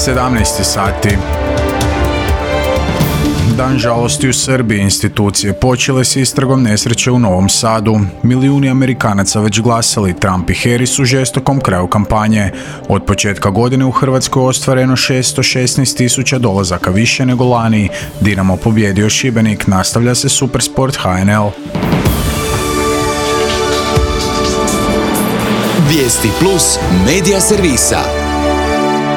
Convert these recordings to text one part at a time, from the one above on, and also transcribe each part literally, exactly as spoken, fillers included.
sedamnaest sati. Dan žalosti u Srbiji. Institucije počele s istragom nesreće u Novom Sadu. Milijuni Amerikanaca već glasali. Trump i Harris u žestokom kraju kampanje. Od početka godine u Hrvatskoj ostvareno šesto šesnaest tisuća dolazaka više nego lani. Dinamo pobjedio Šibenik. Nastavlja se Supersport H N L. Vijesti plus medija servisa.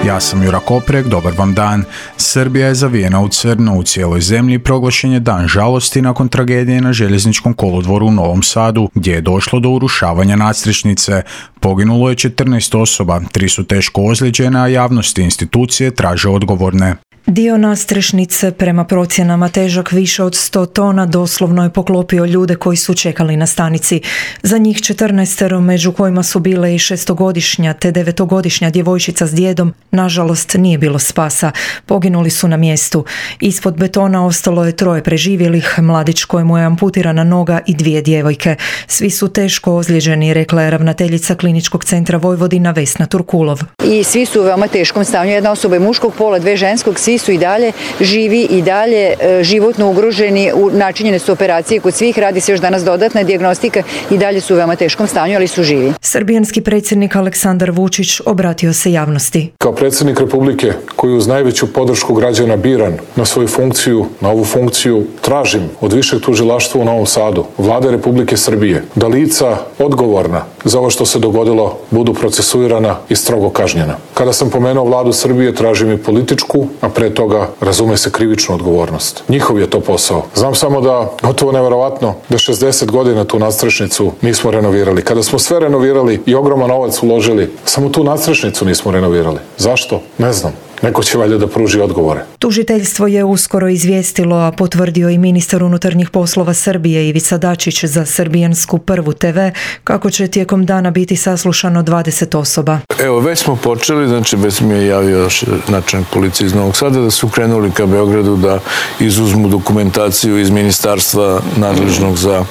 Ja sam Jura Koprek, dobar vam dan. Srbija je zavijena u crno. U cijeloj zemlji proglašen je dan žalosti nakon tragedije na željezničkom kolodvoru u Novom Sadu, gdje je došlo do urušavanja nadstrešnice. Poginulo je četrnaest osoba, tri su teško ozlijeđene, a javnosti institucije traže odgovorne. Dio nadstrešnice, prema procjenama težak više od sto tona, doslovno je poklopio ljude koji su čekali na stanici. Za njih četrnaestero, među kojima su bile i šestogodišnja te devetogodišnja djevojčica s djedom, nažalost nije bilo spasa. Poginuli su na mjestu. Ispod betona ostalo je troje preživjelih, mladić kojemu je amputirana noga i dvije djevojke. Svi su teško ozlijeđeni, rekla je ravnateljica Kliničkog centra Vojvodina Vesna Turkulov. I svi su u veoma teškom stanju. Jedna osoba je muškog pola, dve ženskog, svi su i dalje živi i dalje e, životno ugroženi, u, načinjene su operacije kod svih, radi se još danas dodatna dijagnostika i dalje su u veoma teškom stanju, ali su živi. Srbijanski predsjednik Aleksandar Vučić obratio se javnosti. Kao predsjednik Republike, koji uz najveću podršku građana biran na svoju funkciju, na ovu funkciju, tražim od Višeg tužilaštva u Novom Sadu, Vlade Republike Srbije, da lica odgovorna za ovo što se dogodilo budu procesuirana i strogo kažnjena. Kada sam pomenuo Vladu Srbije, tražim i političku, a pre toga razume se krivičnu odgovornost. Njihov je to posao. Znam samo da, gotovo neverovatno, da šezdeset godina tu nadstrešnicu nismo renovirali. Kada smo sve renovirali i ogroman novac uložili, samo tu nadstrešnicu nismo renovirali. Zašto? Ne znam. Neko će valjda da pruži odgovore. Tužiteljstvo je uskoro izvijestilo, a potvrdio i ministar unutarnjih poslova Srbije Ivica Dačić za srbijansku Prvu te ve, kako će tijekom dana biti saslušano dvadeset osoba. Evo, već smo počeli, znači već mi je javio načelnik policije iz Novog Sada da su krenuli ka Beogradu da izuzmu dokumentaciju iz ministarstva nadležnog za,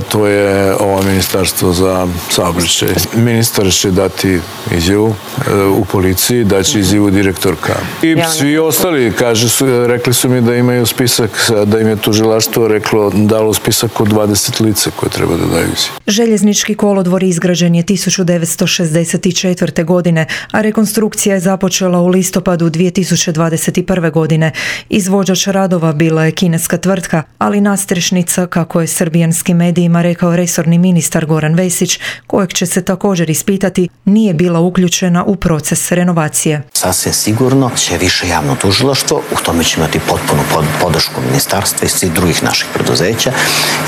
to je ovo ministarstvo za saobraćaj. Ministar će dati izjavu u policiji, daće izjavu direktorka. I svi ostali, kaže su, rekli su mi da imaju spisak, da im je tužilaštvo reklo, dalo spisak od dvadeset lica koje treba da daju izjavu. Željeznički kolodvor izgrađen je tisuću devetsto šezdeset četvrte. godine, a rekonstrukcija je započela u listopadu dvije tisuće dvadeset prve. godine. Izvođač radova bila je kineska tvrtka, ali nadstrešnica, kako je srbijanskim medijima rekao resorni ministar Goran Vesić, kojeg će se također ispitati, nije bila uključena u proces renovacije. Sasvim sigurno će više javno tužilaštvo, u tome će imati potpunu podršku ministarstva i svih drugih naših preduzeća,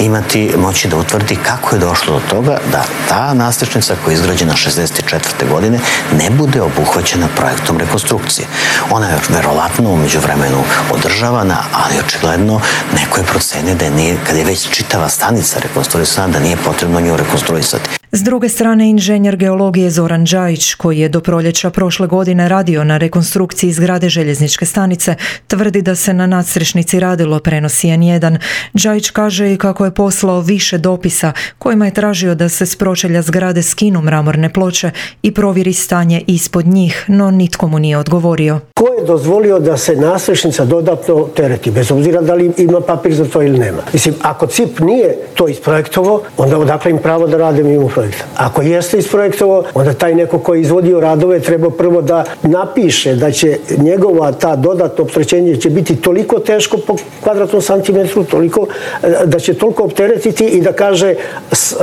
imati moći da utvrdi kako je došlo do toga da ta nadstrešnica koja je izgrađena šezdeset četvrte. godine ne bude obuhvaćena projektom rekonstrukcije. Ona je verovatno u međuvremenu održavana, ali očigledno neko je procenio da je nije, kad je već čitava stanica rekonstruisana, da nije potrebno nju rekonstruisati. S druge strane, inženjer geologije Zoran Đajić, koji je do proljeća prošle godine radio na rekonstrukciji zgrade željezničke stanice, tvrdi da se na nadstrešnici radilo, prenosi en jedan. Đajić kaže i kako je poslao više dopisa kojima je tražio da se s pročelja zgrade skinu mramorne ploče i provjeri stanje ispod njih, no nitko mu nije odgovorio. Ko je dozvolio da se nadstrešnica dodatno tereti, bez obzira da li ima papir za to ili nema? Mislim, ako C I P nije to isprojektovao, onda odakle im pravo da rade mimo projekta? Ako jeste isprojektovao, onda taj neko koji je izvodio radove treba prvo da napiše da će njegova ta dodatno opterećenje će biti toliko teško po kvadratnom santimetru, toliko, da će toliko opteretiti i da kaže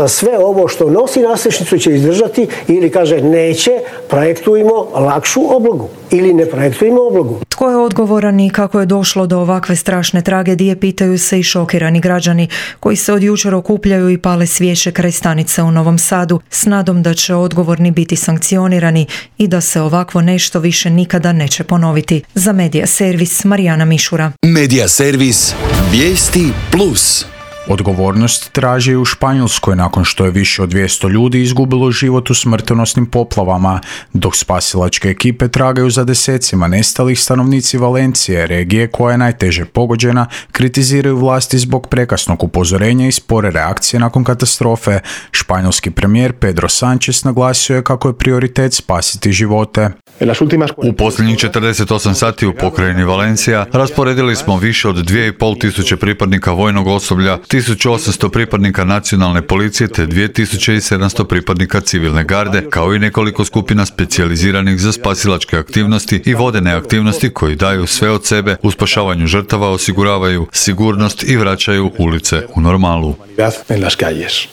sve ovo što nosi nadstrešnicu će izdržati, ili kaže neće, projektujemo lakšu oblogu ili ne projektujemo oblogu. Tko je odgovoran i kako je došlo do ovakve strašne tragedije, pitaju se i šokirani građani koji se od jučer okupljaju i pale svijeće kraj stanice u Novom Sadu s nadom da će odgovorni biti sankcionirani i da se ovakvo nešto više nikada neće ponoviti. Za Medija servis Marijana Mišura. Medija servis Vijesti plus. Odgovornost traži i u Španjolskoj nakon što je više od dvjesto ljudi izgubilo život u smrtonosnim poplavama, dok spasilačke ekipe tragaju za desecima nestalih. Stanovnici Valencije, regije koja je najteže pogođena, kritiziraju vlasti zbog prekasnog upozorenja i spore reakcije nakon katastrofe. Španjolski premijer Pedro Sánchez naglasio je kako je prioritet spasiti živote. U posljednjih četrdeset osam sati u pokrajini Valencija rasporedili smo više od dvije i pol tisuće pripadnika vojnog osoblja, tisuću osamsto pripadnika nacionalne policije te dvije tisuće sedamsto pripadnika civilne garde, kao i nekoliko skupina specijaliziranih za spasilačke aktivnosti i vodene aktivnosti koji daju sve od sebe u spašavanju žrtava, osiguravaju sigurnost i vraćaju ulice u normalu.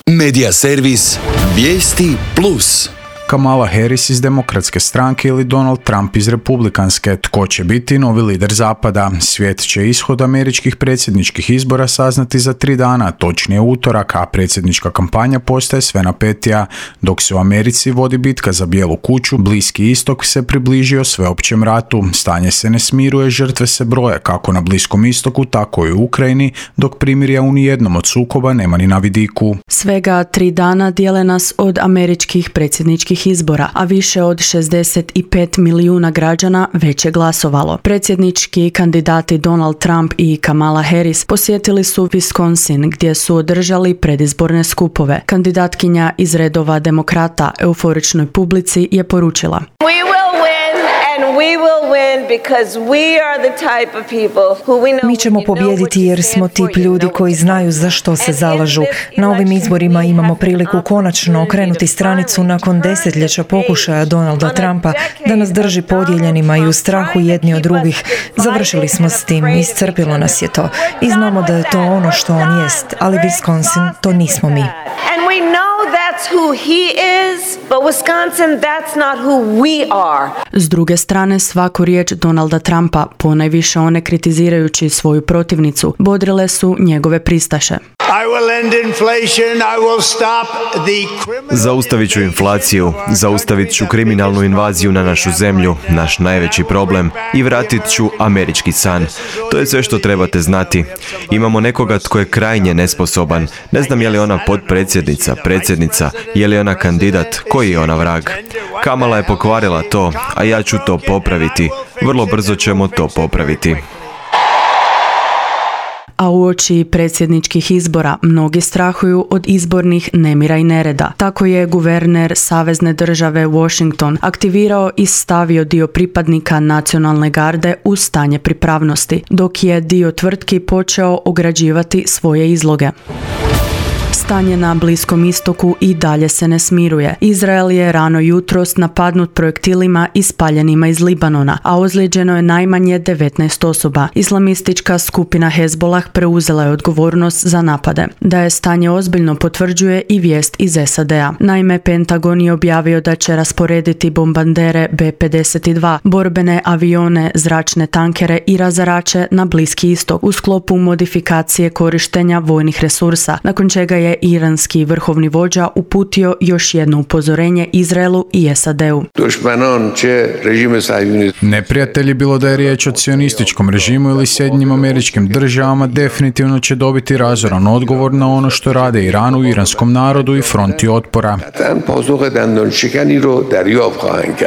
Medija servis Vijesti plus. Kamala Harris iz Demokratske stranke ili Donald Trump iz Republikanske. Tko će biti novi lider Zapada? Svijet će ishod američkih predsjedničkih izbora saznati za tri dana, točnije utorak, a predsjednička kampanja postaje sve napetija. Dok se u Americi vodi bitka za Bijelu kuću, Bliski istok se približio sveopćem ratu. Stanje se ne smiruje, žrtve se broje kako na Bliskom istoku, tako i u Ukrajini, dok primirja u nijednom od sukoba nema ni na vidiku. Svega tri dana dijele nas od američkih predsjedničkih izbora, a više od šezdeset pet milijuna građana već je glasovalo. Predsjednički kandidati Donald Trump i Kamala Harris posjetili su Wisconsin gdje su održali predizborne skupove. Kandidatkinja iz redova demokrata euforičnoj publici je poručila: Mi ćemo pobijediti jer smo tip ljudi koji znaju za što se zalažu. Na ovim izborima imamo priliku konačno okrenuti stranicu nakon desetljeća pokušaja Donalda Trumpa da nas drži podijeljenima i u strahu jedni od drugih. Završili smo s tim, iscrpilo nas je to. I znamo da je to ono što on jest, ali Wisconsin to nismo mi. Who he is, but Wisconsin, that's not who we are. S druge strane, svaku riječ Donalda Trumpa, ponajviše one kritizirajući svoju protivnicu, bodrile su njegove pristaše. Zaustavit ću inflaciju, zaustavit ću kriminalnu invaziju na našu zemlju, naš najveći problem, i vratit ću američki san. To je sve što trebate znati. Imamo nekoga tko je krajnje nesposoban. Ne znam je li ona potpredsjednica, predsjednica, je li ona kandidat, koji je ona vrag. Kamala je pokvarila to, a ja ću to popraviti. Vrlo brzo ćemo to popraviti. A uoči predsjedničkih izbora mnogi strahuju od izbornih nemira i nereda. Tako je guverner savezne države Washington aktivirao i stavio dio pripadnika nacionalne garde u stanje pripravnosti, dok je dio tvrtki počeo ograđivati svoje izloge. Stanje na Bliskom istoku i dalje se ne smiruje. Izrael je rano jutros napadnut projektilima ispaljenima iz Libanona, a ozlijeđeno je najmanje devetnaest osoba. Islamistička skupina Hezbollah preuzela je odgovornost za napade. Da je stanje ozbiljno potvrđuje i vijest iz S A D-a. Naime, Pentagon je objavio da će rasporediti bombardere B pedeset dva, borbene avione, zračne tankere i razarače na Bliski istok u sklopu modifikacije korištenja vojnih resursa, nakon čega je iranski vrhovni vođa uputio još jedno upozorenje Izraelu i S A D-u. Neprijatelji, bilo da je riječ o cionističkom režimu ili Sjedinjenim Američkim Državama, definitivno će dobiti razoran odgovor na ono što rade Iranu, iranskom narodu i fronti otpora.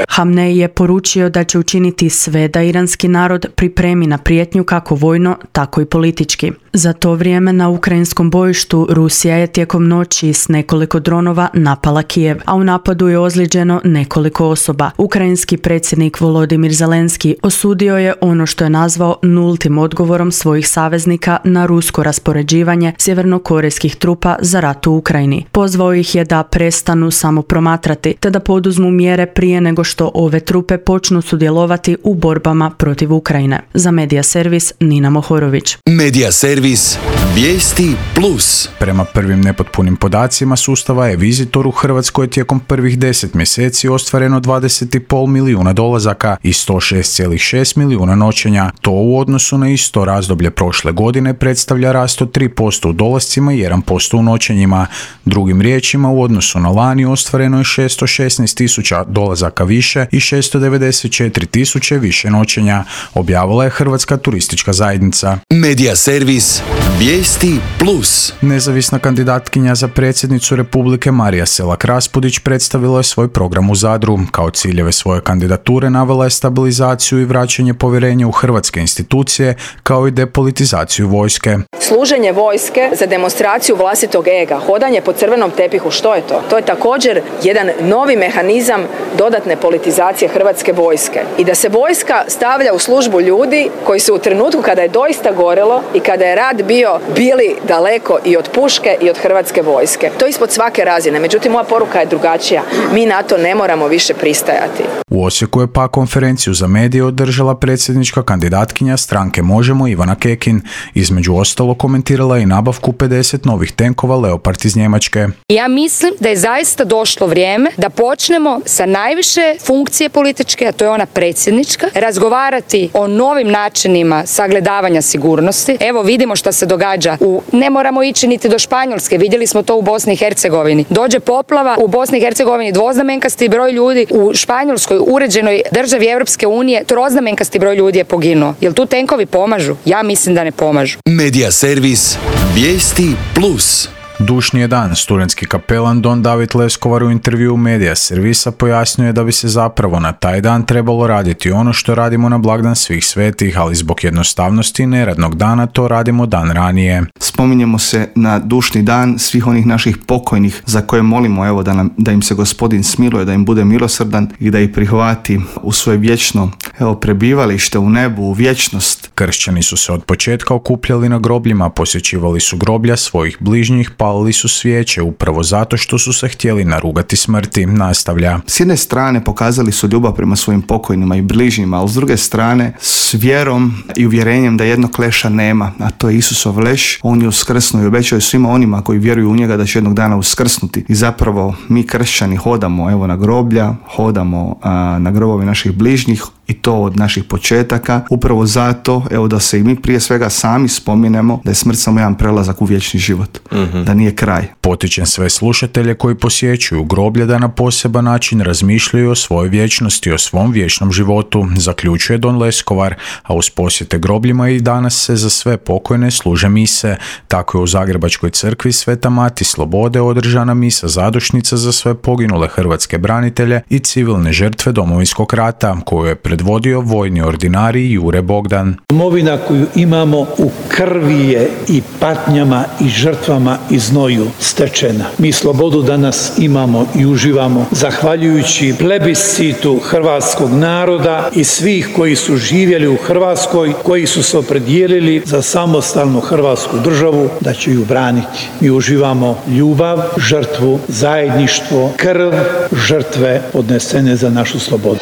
Hamnej je poručio da će učiniti sve da iranski narod pripremi na prijetnju kako vojno, tako i politički. Za to vrijeme na ukrajinskom bojištu Rusija je tijekom noći s nekoliko dronova napala Kijev, a u napadu je ozlijeđeno nekoliko osoba. Ukrajinski predsjednik Volodimir Zelenski osudio je ono što je nazvao nultim odgovorom svojih saveznika na rusko raspoređivanje sjevernokorejskih trupa za rat u Ukrajini. Pozvao ih je da prestanu samo promatrati, te da poduzmu mjere prije nego što ove trupe počnu sudjelovati u borbama protiv Ukrajine. Za Medija servis Nina Mohorović. Medija servis Vijesti plus. Prema prvim nepotpunim podacima sustava e-Visitor u Hrvatskoj tijekom prvih deset mjeseci ostvareno dvadeset i pol milijuna dolazaka i sto šest zarez šest milijuna noćenja. To u odnosu na isto razdoblje prošle godine predstavlja rast od tri posto u dolascima i jedan posto u noćenjima. Drugim riječima, u odnosu na lani ostvareno je šesto šesnaest tisuća dolazaka više i šesto devedeset četiri tisuće više noćenja, objavila je Hrvatska turistička zajednica. Medija servis servis Vijesti Plus. Nezavisna kandidatkinja za predsjednicu Republike Marija Selak Raspudić predstavila je svoj program u Zadru. Kao ciljeve svoje kandidature navela je stabilizaciju i vraćanje povjerenja u hrvatske institucije, kao i depolitizaciju vojske. Služenje vojske za demonstraciju vlastitog ega, hodanje po crvenom tepihu, što je to? To je također jedan novi mehanizam dodatne politizacije hrvatske vojske. I da se vojska stavlja u službu ljudi koji su u trenutku kada je doista gorelo i kada je rat bio bili daleko i od puške i od hrvatske vojske. To je ispod svake razine. Međutim, moja poruka je drugačija. Mi na to ne moramo više pristajati. U Osijeku je pa konferenciju za medije održala predsjednička kandidatkinja stranke Možemo Ivana Kekin. Između ostalo komentirala i nabavku pedeset novih tenkova Leopard iz Njemačke. Ja mislim da je zaista došlo vrijeme da počnemo sa najviše funkcije političke, a to je ona predsjednička, razgovarati o novim načinima sagledavanja sigurnosti. Evo vidimo što se događa. U, ne moramo ići niti do Španjolske, vidjeli smo to u Bosni i Hercegovini. Dođe poplava, u Bosni i Hercegovini dvoznamenkasti broj ljudi, u Španjolskoj uređenoj državi Europske unije troznamenkasti broj ljudi je poginuo. Jel tu tenkovi pomažu? Ja mislim da ne pomažu. Medija servis Vijesti Plus. Dušni je dan. Studentski kapelan Don David Leskovar u intervju Medija servisa pojasnio je da bi se zapravo na taj dan trebalo raditi ono što radimo na blagdan svih svetih, ali zbog jednostavnosti neradnog dana to radimo dan ranije. Spominjemo se na dušni dan svih onih naših pokojnih za koje molimo evo da, nam, da im se Gospodin smiluje, da im bude milosrdan i da ih prihvati u svoje vječno evo, prebivalište u nebu, u vječnost. Kršćani su se od početka okupljali na grobljima, posjećivali su groblja svojih bližnjih, palili su svijeće upravo zato što su se htjeli narugati smrti, nastavlja. S jedne strane pokazali su ljubav prema svojim pokojnima i bližnjima, ali s druge strane s vjerom i uvjerenjem da jednog leša nema, a to je Isusov leš. On je uskrsnuo i obećao je svima onima koji vjeruju u njega da će jednog dana uskrsnuti. I zapravo mi kršćani hodamo evo na groblja, hodamo a, na grobove naših bližnjih i to od naših početaka, upravo zato evo da se i mi prije svega sami spominemo da je smrt samo jedan prelazak u vječni život, mm-hmm. da nije kraj. Potičem sve slušatelje koji posjećuju groblje da na poseban način razmišljaju o svojoj vječnosti, o svom vječnom životu, zaključuje Don Leskovar, a uz posjete grobljima i danas se za sve pokojne služe mise. Tako je u Zagrebačkoj crkvi Sveta Mati Slobode održana misa zadušnica za sve poginule hrvatske branitelje i civilne žrtve Domovinskog rata, koju je predvodio vojni ordinarij Jure Bogdan. Domovina koju imamo u krvi je i patnjama i žrtvama i znoju stečena. Mi slobodu danas imamo i uživamo zahvaljujući plebiscitu hrvatskog naroda i svih koji su živjeli u Hrvatskoj, koji su se opredijelili za samostalnu hrvatsku državu da će ju braniti. Mi uživamo ljubav, žrtvu, zajedništvo, krv žrtve odnesene za našu slobodu.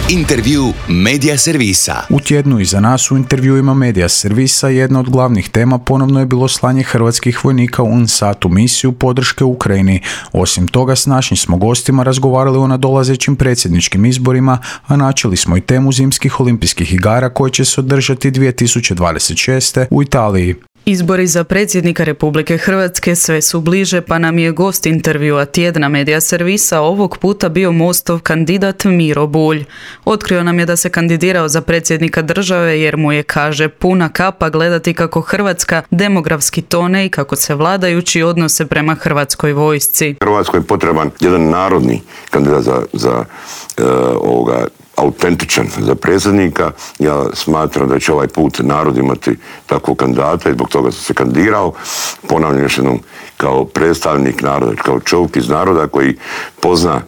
Intervju Medija servisa. U tjednu iza nas u intervjuima Medija servisa jedna od glavnih tema ponovno je bilo slanje hrvatskih vojnika u U N S A T u misiju podrške Ukrajini. Osim toga, s našim smo gostima razgovarali o nadolazećim predsjedničkim izborima, a načeli smo i temu zimskih olimpijskih igara koje će se održati dvije tisuće dvadeset šeste. u Italiji. Izbori za predsjednika Republike Hrvatske sve su bliže, pa nam je gost intervjua tjedna Medija servisa ovog puta bio Mostov kandidat Miro Bulj. Otkrio nam je da se kandidirao za predsjednika države jer mu je, kaže, puna kapa gledati kako Hrvatska demografski tone i kako se vladajući odnose prema hrvatskoj vojsci. Hrvatskoj je potreban jedan narodni kandidat za, za uh, ovoga autentičan za predsjednika. Ja smatram da će ovaj put narod imati takvog kandidata i zbog toga sam se kandidirao. Ponavljam još jednom, kao predstavnik naroda, kao čovjek iz naroda koji pozna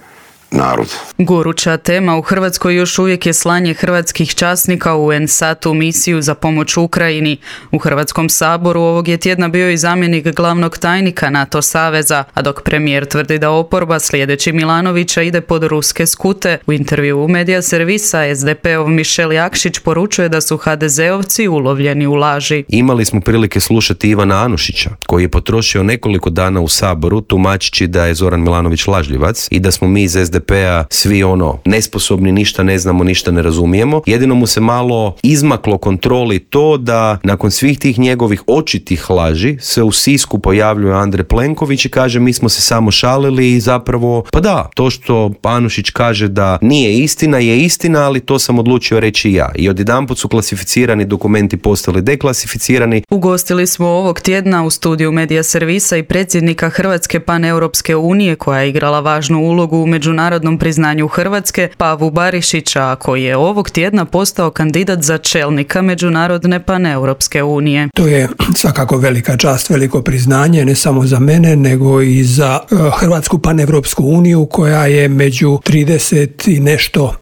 narod. Goruća tema u Hrvatskoj još uvijek je slanje hrvatskih časnika u U N S A T u misiju za pomoć Ukrajini. U Hrvatskom saboru ovog je tjedna bio i zamjenik glavnog tajnika NATO saveza, a dok premijer tvrdi da oporba slijedeći Milanovića ide pod ruske skute, u intervju u Medija servisa es de pe ov Mišel Jakšić poručuje da su ha de zeovci ulovljeni u laži. Imali smo prilike slušati Ivana Anušića, koji je potrošio nekoliko dana u saboru tumačići da je Zoran Milanović lažljivac i da smo mi iz es de P-a svi ono nesposobni, ništa ne znamo, ništa ne razumijemo. Jedino mu se malo izmaklo kontroli to da nakon svih tih njegovih očitih laži se u Sisku pojavljuje Andrej Plenković i kaže mi smo se samo šalili i zapravo, pa da, to što Anušić kaže da nije istina je istina, ali to sam odlučio reći ja. I odjedanput su klasificirani dokumenti postali deklasificirani. Ugostili smo ovog tjedna u studiju Medija Servisa i predsjednika Hrvatske paneuropske unije koja je igrala važnu ulogu u međunarodnom priznanju Hrvatske, Pavu Barišića, koji je ovog tjedna postao kandidat za čelnika Međunarodne paneuropske unije. To je svakako velika čast, veliko priznanje, ne samo za mene, nego i za Hrvatsku paneuropsku uniju koja je među trideset i nešto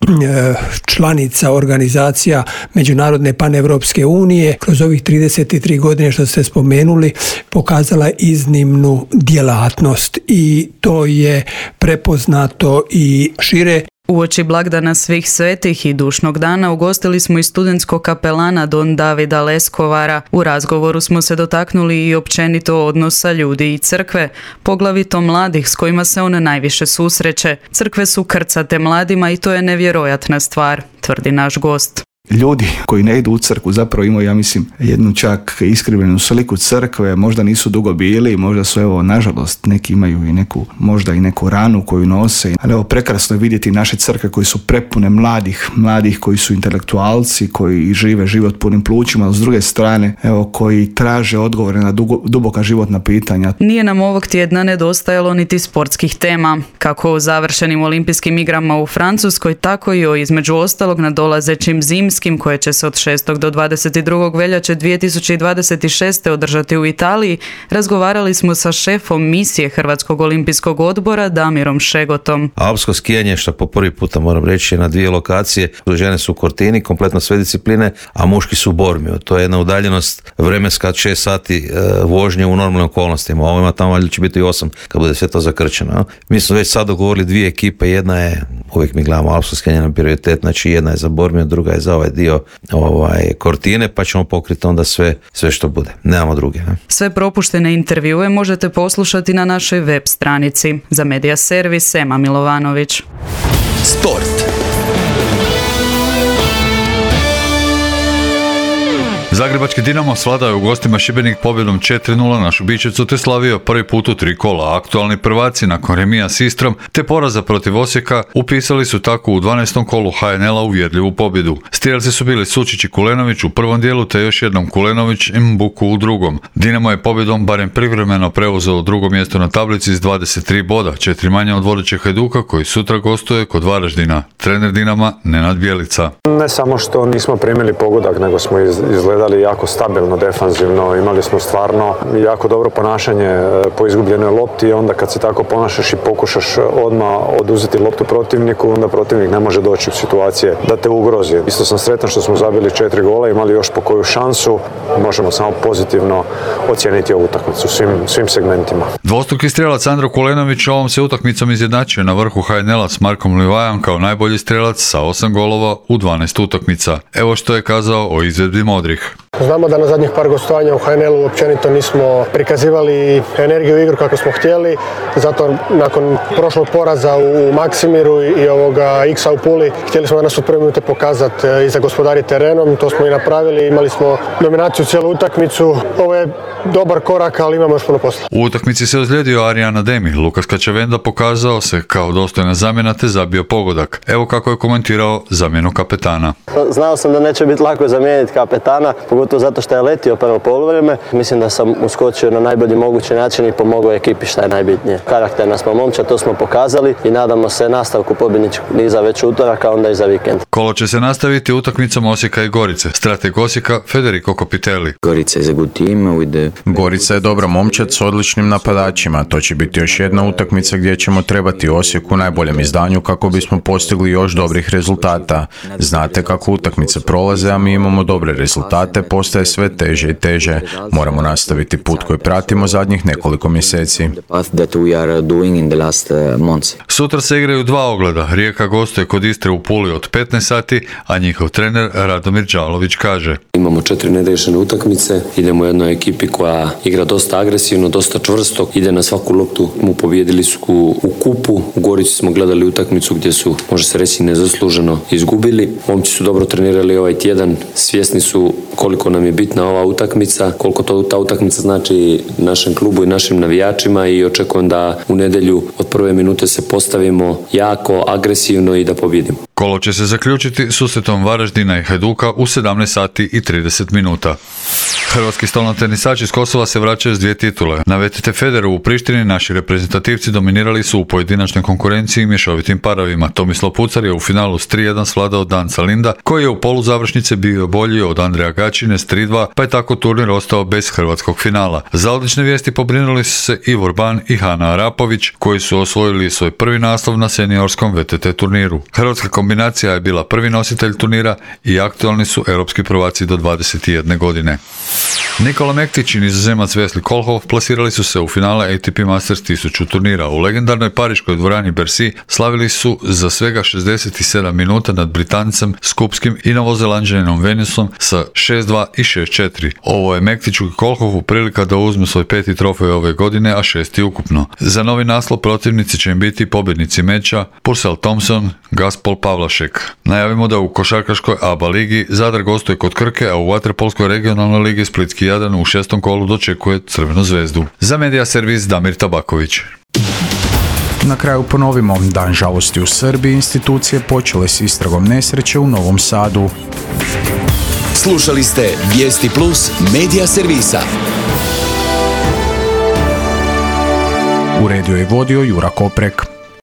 članica organizacija Međunarodne paneuropske unije kroz ovih trideset tri godine što ste spomenuli pokazala iznimnu djelatnost i to je prepoznato i šire. Uoči blagdana svih svetih i dušnog dana ugostili smo i studentskog kapelana Don Davida Leskovara. U razgovoru smo se dotaknuli i općenito odnosa ljudi i crkve, poglavito mladih s kojima se on najviše susreće. Crkve su krcate mladima i to je nevjerojatna stvar, tvrdi naš gost. Ljudi koji ne idu u crkvu zapravo imaju, ja mislim, jednu čak iskrivljenu sliku crkve, možda nisu dugo bili, možda su, evo, nažalost, neki imaju i neku, možda i neku ranu koju nose, ali evo, prekrasno je vidjeti naše crkve koji su prepune mladih, mladih koji su intelektualci, koji žive život punim plućima, a s druge strane, evo, koji traže odgovore na dugo, duboka životna pitanja. Nije nam ovog tjedna nedostajalo niti sportskih tema, kako o završenim olimpijskim igrama u Francuskoj, tako i o između ostalog nadolazećim zimskim koje će se od šestog do dvadeset drugog veljače dvije tisuće dvadeset šeste održati u Italiji, razgovarali smo sa šefom misije Hrvatskog olimpijskog odbora Damirom Šegotom. Alpsko skijanje, što po prvi puta moram reći, je na dvije lokacije. Žene su u Cortini, kompletno sve discipline, a muški su u Bormiju. To je jedna udaljenost vremenska šest sati e, vožnje u normalnim okolnostima. Ovo ima tamo valjda će biti i osam kad bude sve to zakrčeno. No? Mi smo već sad dogovorili dvije ekipe, jedna je, uvijek mi gledamo alpsko skijanje na prioritet, znači jedna je za Bormiju, druga je za ovaj dio ovaj, Cortine, pa ćemo pokriti onda sve, sve što bude. Nemamo druge. Ne? Sve propuštene intervjue možete poslušati na našoj web stranici. Za Medija Servis, Ema Milovanović. Sport. Zagrebački Dinamo svladao je u gostima Šibenik pobjedom četiri nula na Šubićevcu te slavio prvi put u tri kola. Aktualni prvaci nakon remija s Istrom te poraza protiv Osijeka upisali su tako u dvanaestom kolu ha en el-a uvjerljivu pobjedu. Strijelci su bili Sučić i Kulenović u prvom dijelu te još jednom Kulenović i Mbuku u drugom. Dinamo je pobjedom barem privremeno preuzeo drugo mjesto na tablici s dvadeset tri boda, četiri manje od vodećeg Hajduka koji sutra gostuje kod Varaždina. Trener Dinama Nenad Bjelica. Ne samo što nismo primili pogodak, nego smo izgledali jako stabilno, defanzivno, imali smo stvarno jako dobro ponašanje po izgubljenoj lopti i onda kad se tako ponašaš i pokušaš odmah oduzeti loptu protivniku, onda protivnik ne može doći u situacije da te ugrozi. Isto sam sretan što smo zabili četiri gola, imali još po koju šansu, možemo samo pozitivno ocijeniti ovu utakmicu svim, svim segmentima. Dvostruki strijelac Andro Kulenović ovom se utakmicom izjednačio na vrhu ha en el-a s Markom Livajom kao najbolji strijelac sa osam golova u dvanaest utakmica. Evo što je kazao o izvedbi modrih. Znamo da na zadnjih par gostovanja u ha en el-u općenito nismo prikazivali energiju u igru kako smo htjeli, zato nakon prošlog poraza u Maksimiru i ovoga X-a u Puli htjeli smo danas u prve minute pokazati i zagospodariti terenom, to smo i napravili, imali smo dominaciju cijelu utakmicu, ovo je dobar korak, ali imamo još puno posla. U utakmici se ozlijedio Arijan Ademi, Lukas Kačavenda pokazao se kao dostojna zamjena te zabio pogodak. Evo kako je komentirao zamjenu kapetana. Znao sam da neće biti lako zamijeniti kapetana, pogotovo zato što je letio prvo poluvreme. Mislim da sam uskočio na najbolji mogući način i pomogao ekipi šta je najbitnije. Karakterna smo momčad, to smo pokazali i nadamo se nastavku pobjedničkog niza već utorak, a onda i za vikend. Kolo će se nastaviti utakmicom Osijeka i Gorice. Strateg Osijeka Federico Copitelli. Gorica je good team with the... Gorica je dobra momčad s odličnim napadačima. To će biti još jedna utakmica gdje ćemo trebati Osijeku u najboljem izdanju kako bismo postigli još dobrih rezultata. Znate kako utakmice prolaze, a mi imamo dobre rezultate, postaje sve teže i teže. Moramo nastaviti put koji pratimo zadnjih nekoliko mjeseci. Sutra se igraju dva ogleda. Rijeka gostuje kod Istre u Puli od petnaest sati, a njihov trener Radomir Đalović kaže: Imamo četiri neriješene utakmice, idemo jednoj ekipi koja igra dosta agresivno, dosta čvrsto, ide na svaku loptu. Mu pobijedili su u kupu, u Gorici smo gledali utakmicu gdje su, može se reći, nezasluženo izgubili. Momci su dobro trenirali ovaj tjedan, svjesni su koliko nam je bitna ova utakmica, koliko to ta utakmica znači našem klubu i našim navijačima i očekujem da u nedjelju od prve minute se postavimo jako agresivno i da pobjedimo. Kolo će se zaključiti susretom Varaždina i Hajduka u sedamnaest sati i trideset minuta. Hrvatski stolnotenisači iz Kosova se vraćaju s dvije titule. Na V T T Federu u Prištini naši reprezentativci dominirali su u pojedinačnoj konkurenciji i mješovitim parovima. Tomislav Pucar je u finalu s tri jedan svladao Danca Linda, koji je u poluzavršnice bio bolji od Andreja Gačine s tri dva, pa je tako turnir ostao bez hrvatskog finala. Za odlične vijesti pobrinuli su se Ivor Ban i Hana Arapović, koji su osvojili svoj prvi naslov na seniorskom V T T turniru. Hrvatska kombinacija je bila prvi nositelj turnira i aktualni su europski prvaci do dvadeset jedne godine. Nikola Mektić i Nizozemac Wesley Kohlhoff plasirali su se u finale A T P Masters tisuću turnira. U legendarnoj pariškoj dvorani Bercy slavili su za svega šezdeset sedam minuta nad Britancem, Skupskim i Novozelanđaninom Venusom sa šest dva i šest četiri. Ovo je Mektiću i Kohlhoffu prilika da uzmu svoj peti trofej ove godine, a šesti ukupno. Za novi naslov protivnici će im biti pobjednici meča Purcell Thompson, Gaspol Pavlašek. Najavimo da u košarkaškoj A B A ligi Zadar gostuje kod Krke, a u vaterpolskoj regionalnoj ligi Splitski Jadran u šestom kolu dočekuje Crvenu zvezdu. Za Medija servis Damir Tabaković. Na kraju ponovimo, dan žalosti u Srbiji, institucije počele s istragom nesreće u Novom Sadu. Slušali ste Vijesti Plus Medija servisa. Uredio i vodio Jura Koprek.